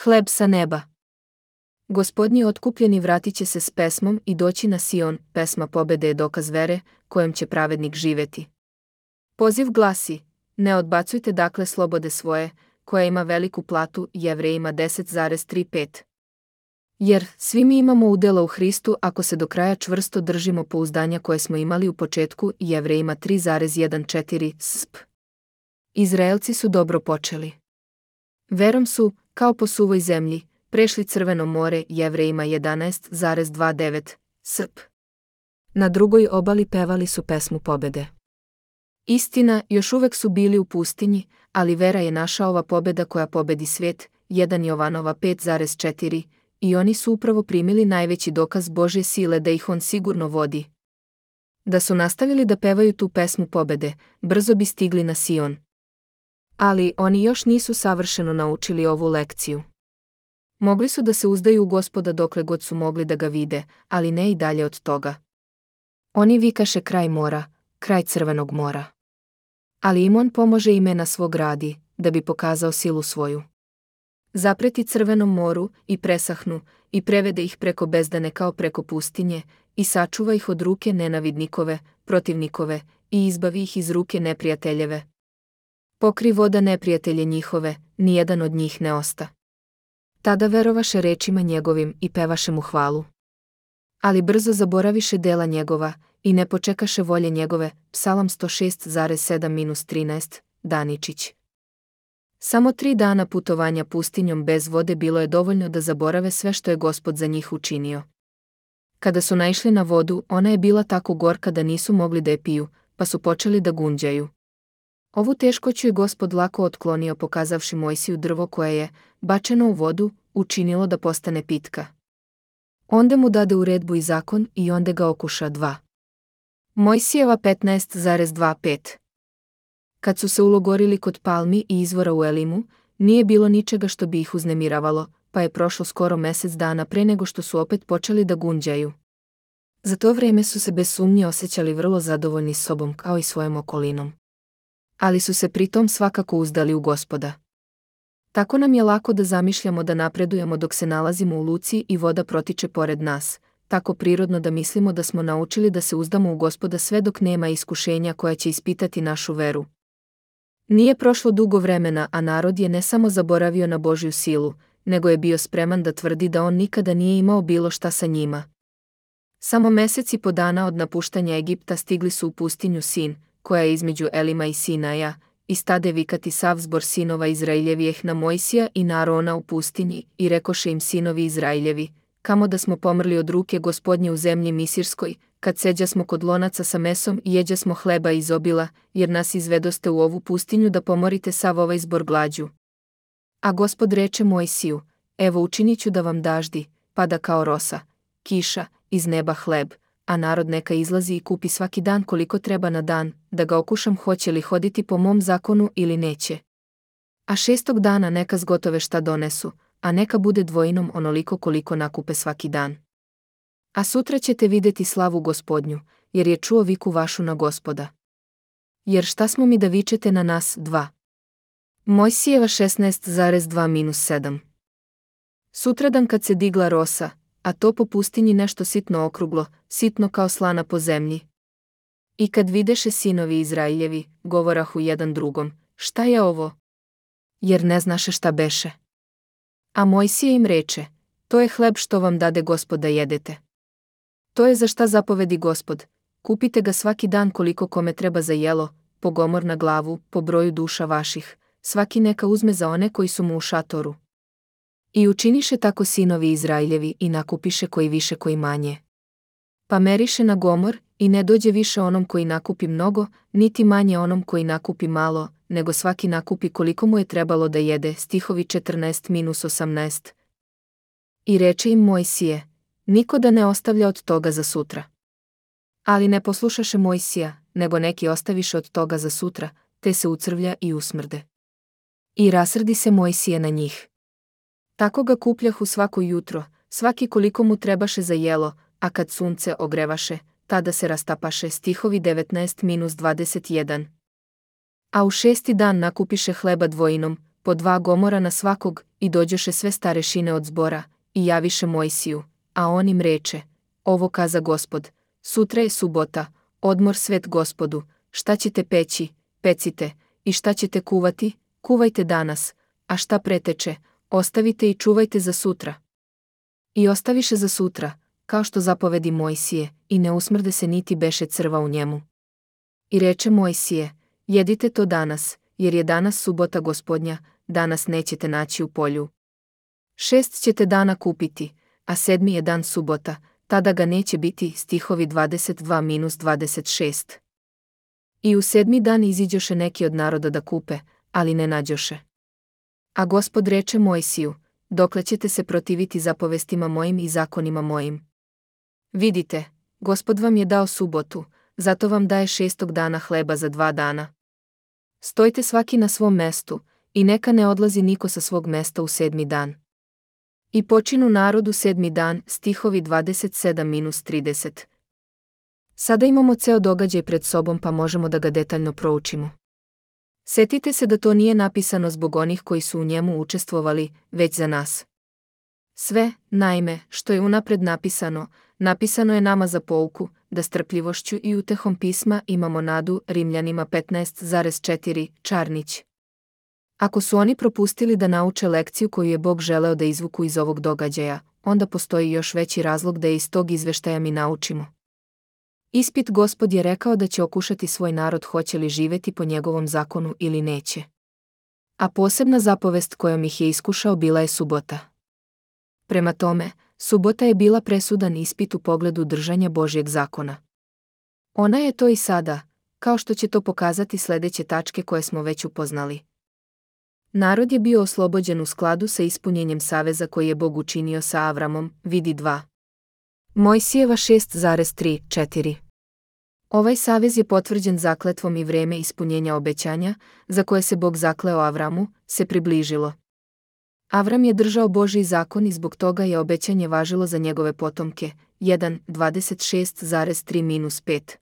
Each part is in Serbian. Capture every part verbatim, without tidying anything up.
Hleb sa neba. Gospodnji otkupljeni vratit će se s pesmom i doći na Sion, pesma pobede je dokaz vere, kojom će pravednik živjeti. Poziv glasi, ne odbacujte dakle slobode svoje, koja ima veliku platu, Jevrejima deset zarez trideset pet. Jer, svi mi imamo udjela u Hristu ako se do kraja čvrsto držimo pouzdanja koje smo imali u početku, Jevrejima tri zarez četrnaest sp. Izraelci su dobro počeli. Verom su, kao po suvoj zemlji, prešli Crveno more, Jevrejima jedanaest zarez dvadeset devet sp. Na drugoj obali pevali su pesmu pobede. Istina, još uvek su bili u pustinji, ali vera je naša ova pobeda koja pobedi svijet, jedan Jovanova pet zarez četiri, i oni su upravo primili najveći dokaz Božje sile da ih on sigurno vodi. Da su nastavili da pevaju tu pesmu pobede, brzo bi stigli na Sion. Ali oni još nisu savršeno naučili ovu lekciju. Mogli su da se uzdaju u Gospoda dokle god su mogli da ga vide, ali ne i dalje od toga. Oni vikaše kraj mora, kraj Crvenog mora. Ali im on pomože imena svog radi, da bi pokazao silu svoju. Zapreti Crvenom moru i presahnu, i prevede ih preko bezdane kao preko pustinje, i sačuva ih od ruke nenavidnikove, protivnikove, i izbavi ih iz ruke neprijateljeve. Pokri voda neprijatelje njihove, nijedan od njih ne osta. Tada verovaše rečima njegovim i pevaše mu hvalu. Ali brzo zaboraviše dela njegova, i ne počekaše volje njegove, Psalam sto šest zarez sedam trinaest, Daničić. Samo tri dana putovanja pustinjom bez vode bilo je dovoljno da zaborave sve što je Gospod za njih učinio. Kada su naišli na vodu, ona je bila tako gorka da nisu mogli da je piju, pa su počeli da gunđaju. Ovu teškoću je Gospod lako otklonio pokazavši Mojsiju drvo koje je, bačeno u vodu, učinilo da postane pitka. Onda mu dade uredbu i zakon i onda ga okuša dva. Mojsijeva petnaest zarez dvadeset pet. Kad su se ulogorili kod palmi i izvora u Elimu, nije bilo ničega što bi ih uznemiravalo, pa je prošlo skoro mesec dana pre nego što su opet počeli da gunđaju. Za to vreme su se bez sumnje osjećali vrlo zadovoljni s sobom kao i svojom okolinom. Ali su se pritom svakako uzdali u Gospoda. Tako nam je lako da zamišljamo da napredujemo dok se nalazimo u luci i voda protiče pored nas, tako prirodno da mislimo da smo naučili da se uzdamo u Gospoda sve dok nema iskušenja koja će ispitati našu veru. Nije prošlo dugo vremena, a narod je ne samo zaboravio na Božju silu, nego je bio spreman da tvrdi da on nikada nije imao bilo šta sa njima. Samo mesec i po dana od napuštanja Egipta stigli su u pustinju Sin, koja je između Elima i Sinaja, i stade vikati sav zbor sinova Izraeljevijeh na Mojsija i na Arona u pustinji, i rekoše im sinovi Izraeljevi, kamo da smo pomrli od ruke Gospodnje u zemlji Misirskoj, kad seđa smo kod lonaca sa mesom i jeđa smo hleba iz obila, jer nas izvedoste u ovu pustinju da pomorite sav ovaj zbor glađu. A Gospod reče Mojsiju, evo učinit ću da vam daždi, pada kao rosa, kiša, iz neba hleb, a narod neka izlazi i kupi svaki dan koliko treba na dan, da ga okušam hoće li hoditi po mom zakonu ili neće. A šestog dana neka zgotove šta donesu, a neka bude dvojinom onoliko koliko nakupe svaki dan. A sutra ćete vidjeti slavu Gospodnju, jer je čuo viku vašu na Gospoda. Jer šta smo mi da vičete na nas, dva? Mojsijeva šesnaest zarez dva sedam. Sutradan kad se digla rosa, a to po pustinji nešto sitno okruglo, sitno kao slana po zemlji. I kad videše sinovi Izraeljevi, govorahu jedan drugom, šta je ovo? Jer ne znaše šta beše. A Mojsije im reče, to je hleb što vam dade Gospod da jedete. To je za šta zapovedi Gospod, kupite ga svaki dan koliko kome treba za jelo, po gomor na glavu, po broju duša vaših, svaki neka uzme za one koji su mu u šatoru. I učiniše tako sinovi Izraeljevi i nakupiše koji više koji manje. Pa meriše na gomor i ne dođe više onom koji nakupi mnogo, niti manje onom koji nakupi malo, nego svaki nakupi koliko mu je trebalo da jede, stihovi četrnaest osamnaest. I reče im Mojsije, niko da ne ostavlja od toga za sutra. Ali ne poslušaše Mojsija, nego neki ostaviše od toga za sutra, te se ucrvlja i usmrde. I rasrdi se Mojsije na njih. Tako ga kupljahu svako jutro, svaki koliko mu trebaše za jelo, a kad sunce ogrevaše, tada se rastapaše, stihovi devetnaest dvadeset jedan. A u šesti dan nakupiše hleba dvojinom, po dva gomora na svakog, i dođoše sve starešine od zbora, i javiše Mojsiju, a on im reče, ovo kaza Gospod, sutra je subota, odmor svet Gospodu, šta ćete peći, pecite, i šta ćete kuvati, kuvajte danas, a šta preteče, ostavite i čuvajte za sutra. I ostaviše za sutra, kao što zapovedi Mojsije, i ne usmrde se niti beše crva u njemu. I reče Mojsije, jedite to danas, jer je danas subota Gospodnja, danas nećete naći u polju. Šest ćete dana kupiti, a sedmi je dan subota, tada ga neće biti, stihovi dvadeset dva dvadeset šest. I u sedmi dan iziđoše neki od naroda da kupe, ali ne nađoše. A Gospod reče Mojsiju, dokle ćete se protiviti zapovestima mojim i zakonima mojim? Vidite, Gospod vam je dao subotu, zato vam daje šestog dana hleba za dva dana. Stojte svaki na svom mestu, i neka ne odlazi niko sa svog mesta u sedmi dan. I počinu narodu sedmi dan, stihovi dvadeset sedam trideset. Sada imamo ceo događaj pred sobom pa možemo da ga detaljno proučimo. Setite se da to nije napisano zbog onih koji su u njemu učestvovali, već za nas. Sve, naime, što je unapred napisano, napisano je nama za pouku, da strpljivošću i utehom pisma imamo nadu, Rimljanima petnaest četiri, Čarnić. Ako su oni propustili da nauče lekciju koju je Bog želeo da izvuku iz ovog događaja, onda postoji još veći razlog da je iz tog izveštaja mi naučimo. Ispit Gospod je rekao da će okušati svoj narod hoće li živeti po njegovom zakonu ili neće. A posebna zapovest kojom ih je iskušao bila je subota. Prema tome, subota je bila presudan ispit u pogledu držanja Božjeg zakona. Ona je to i sada, kao što će to pokazati sledeće tačke koje smo već upoznali. Narod je bio oslobođen u skladu sa ispunjenjem saveza koji je Bog učinio sa Avramom, vidi dva. Mojsijeva šest tri četiri. Ovaj savez je potvrđen zakletvom i vreme ispunjenja obećanja, za koje se Bog zakleo Avramu, se približilo. Avram je držao Božji zakon i zbog toga je obećanje važilo za njegove potomke, jedan dvadeset šest tri pet.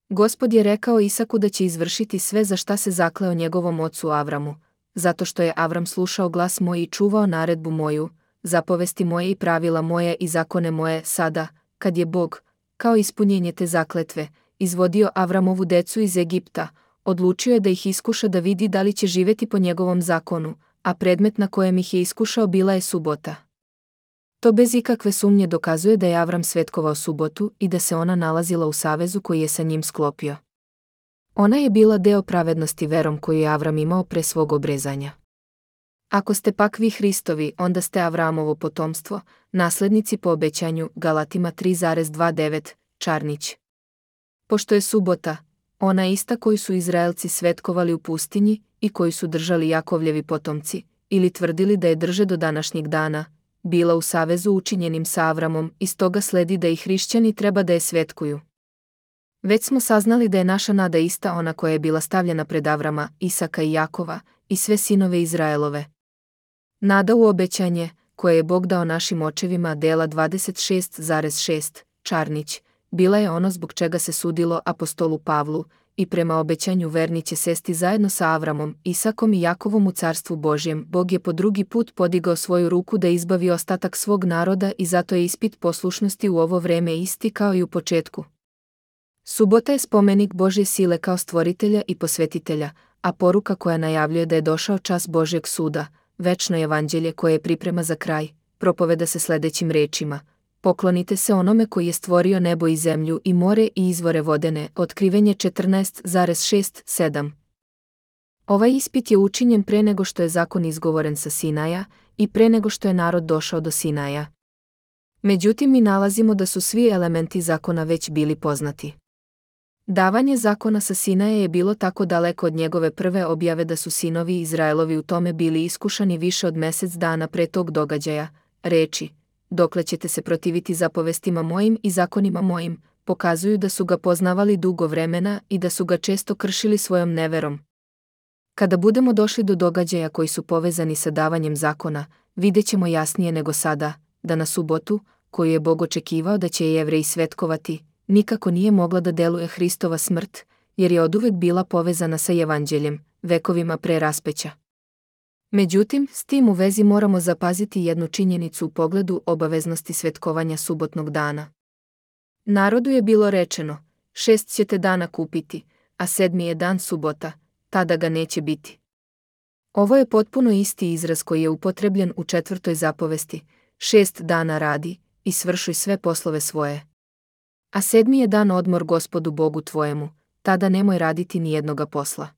Gospod je rekao Isaku da će izvršiti sve za šta se zakleo njegovom ocu Avramu, zato što je Avram slušao glas moj i čuvao naredbu moju, zapovesti moje i pravila moje i zakone moje sada, kad je Bog, kao ispunjenje te zakletve, izvodio Avramovu decu iz Egipta, odlučio je da ih iskuša da vidi da li će živeti po njegovom zakonu, a predmet na kojem ih je iskušao bila je subota. To bez ikakve sumnje dokazuje da je Avram svetkovao subotu i da se ona nalazila u savezu koji je sa njim sklopio. Ona je bila deo pravednosti verom koju je Avram imao pre svog obrezanja. Ako ste pak vi Hristovi, onda ste Avramovo potomstvo, naslednici po obećanju, Galatima tri devet, Čarnić. Pošto je subota, ona ista koju su Izraelci svetkovali u pustinji i koju su držali Jakovljevi potomci, ili tvrdili da je drže do današnjeg dana, bila u savezu učinjenim sa Avramom i stoga sledi da i hrišćani treba da je svetkuju. Već smo saznali da je naša nada ista ona koja je bila stavljena pred Avrama, Isaka i Jakova, i sve sinove Izraelove. Nada u obećanje, koje je Bog dao našim očevima, dela dvadeset šest šest, Čarnić, bila je ono zbog čega se sudilo apostolu Pavlu, i prema obećanju verni će sesti zajedno sa Avramom, Isakom i Jakovom u carstvu Božjem. Bog je po drugi put podigao svoju ruku da izbavi ostatak svog naroda i zato je ispit poslušnosti u ovo vreme isti kao i u početku. Subota je spomenik Božje sile kao stvoritelja i posvetitelja, a poruka koja najavljuje da je došao čas Božjeg suda, večno evanđelje koje je priprema za kraj, propoveda se sledećim rečima: poklonite se onome koji je stvorio nebo i zemlju i more i izvore vodene. Otkrivenje četrnaest šest sedam. Ovaj ispit je učinjen pre nego što je zakon izgovoren sa Sinaja i pre nego što je narod došao do Sinaja. Međutim, mi nalazimo da su svi elementi zakona već bili poznati. Davanje zakona sa Sinaja je bilo tako daleko od njegove prve objave da su sinovi Izraelovi u tome bili iskušani više od mesec dana pre tog događaja. Reči: dokle ćete se protiviti zapovestima mojim i zakonima mojim, pokazuju da su ga poznavali dugo vremena i da su ga često kršili svojom neverom. Kada budemo došli do događaja koji su povezani sa davanjem zakona, vidjet ćemo jasnije nego sada, da na subotu, koju je Bog očekivao da će Jevreji svetkovati, nikako nije mogla da deluje Hristova smrt, jer je oduvek bila povezana sa evanđeljem, vekovima pre raspeća. Međutim, s tim u vezi moramo zapaziti jednu činjenicu u pogledu obaveznosti svetkovanja subotnog dana. Narodu je bilo rečeno, šest ćete dana kupiti, a sedmi je dan subota, tada ga neće biti. Ovo je potpuno isti izraz koji je upotrebljen u četvrtoj zapovesti, šest dana radi i svršuj sve poslove svoje. A sedmi je dan odmor Gospodu Bogu tvojemu, tada nemoj raditi ni jednoga posla.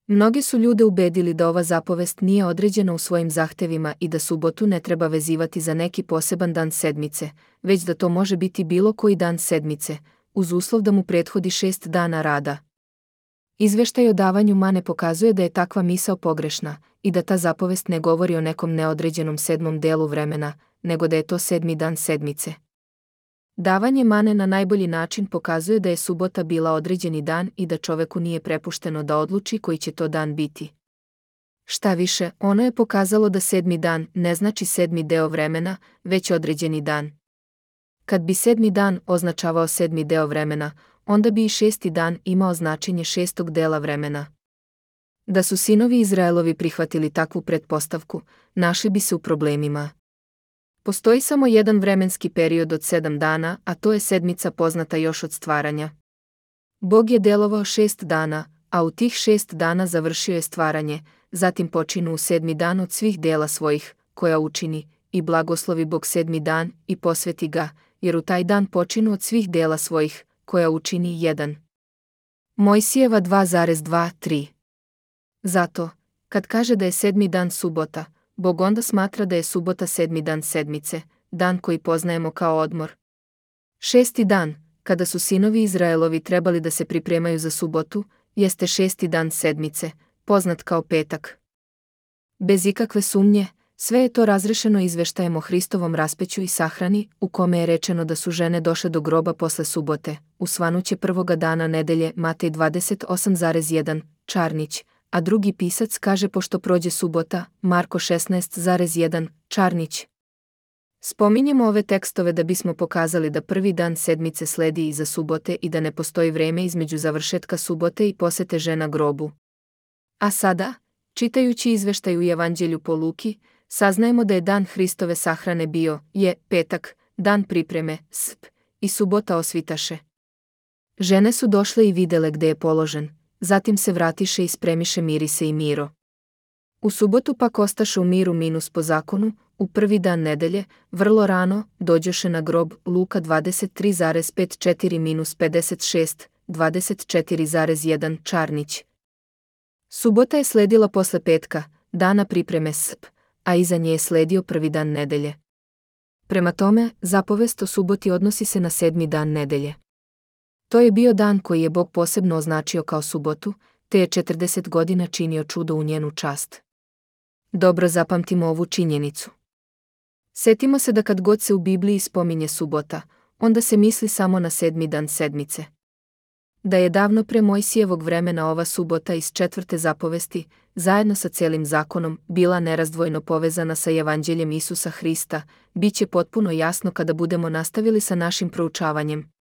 Mnogi su ljude ubedili da ova zapovest nije određena u svojim zahtevima i da subotu ne treba vezivati za neki poseban dan sedmice, već da to može biti bilo koji dan sedmice, uz uslov da mu prethodi šest dana rada. Izveštaj o davanju mane pokazuje da je takva misao pogrešna i da ta zapovest ne govori o nekom neodređenom sedmom delu vremena, nego da je to sedmi dan sedmice. Davanje mane na najbolji način pokazuje da je subota bila određeni dan i da čoveku nije prepušteno da odluči koji će to dan biti. Šta više, ono je pokazalo da sedmi dan ne znači sedmi deo vremena, već određeni dan. Kad bi sedmi dan označavao sedmi deo vremena, onda bi i šesti dan imao značenje šestog dela vremena. Da su sinovi Izraelovi prihvatili takvu pretpostavku, našli bi se u problemima. Postoji samo jedan vremenski period od sedam dana, a to je sedmica poznata još od stvaranja. Bog je delovao šest dana, a u tih šest dana završio je stvaranje, zatim počinu u sedmi dan od svih dela svojih, koja učini, i blagoslovi Bog sedmi dan i posveti ga, jer u taj dan počinu od svih dela svojih, koja učini jedan. Mojsijeva dva dva tri. Zato, kad kaže da je sedmi dan subota, Bog onda smatra da je subota sedmi dan sedmice, dan koji poznajemo kao odmor. Šesti dan, kada su sinovi Izraelovi trebali da se pripremaju za subotu, jeste šesti dan sedmice, poznat kao petak. Bez ikakve sumnje, sve je to razrešeno izveštajem o Hristovom raspeću i sahrani, u kome je rečeno da su žene došle do groba posle subote, u svanuće prvoga dana nedelje Matej dvadeset osam jedan, Čarnić, a drugi pisac kaže pošto prođe subota, Marko šesnaest jedan, Čarnić. Spominjemo ove tekstove da bismo pokazali da prvi dan sedmice sledi iza subote i da ne postoji vreme između završetka subote i posete žena grobu. A sada, čitajući izveštaj u Evanđelju po Luki, saznajemo da je dan Hristove sahrane bio, je, petak, dan pripreme, sp, i subota osvitaše. Žene su došle i videle gde je položen, zatim se vratiše i spremiše mirise i miro. U subotu pak ostaše u miru minus po zakonu, u prvi dan nedelje, vrlo rano, dođoše na grob, Luka dvadeset tri pet četiri pedeset šest, dvadeset četiri jedan, Čarnić. Subota je sledila posle petka, dana pripreme sp, a iza nje je sledio prvi dan nedelje. Prema tome, zapovest o suboti odnosi se na sedmi dan nedelje. To je bio dan koji je Bog posebno označio kao subotu, te je četrdeset godina činio čudo u njenu čast. Dobro zapamtimo ovu činjenicu. Setimo se da kad god se u Bibliji spominje subota, onda se misli samo na sedmi dan sedmice. Da je davno pre Mojsijevog vremena ova subota iz četvrte zapovesti, zajedno sa celim zakonom, bila nerazdvojno povezana sa Evanđeljem Isusa Hrista, bit će potpuno jasno kada budemo nastavili sa našim proučavanjem.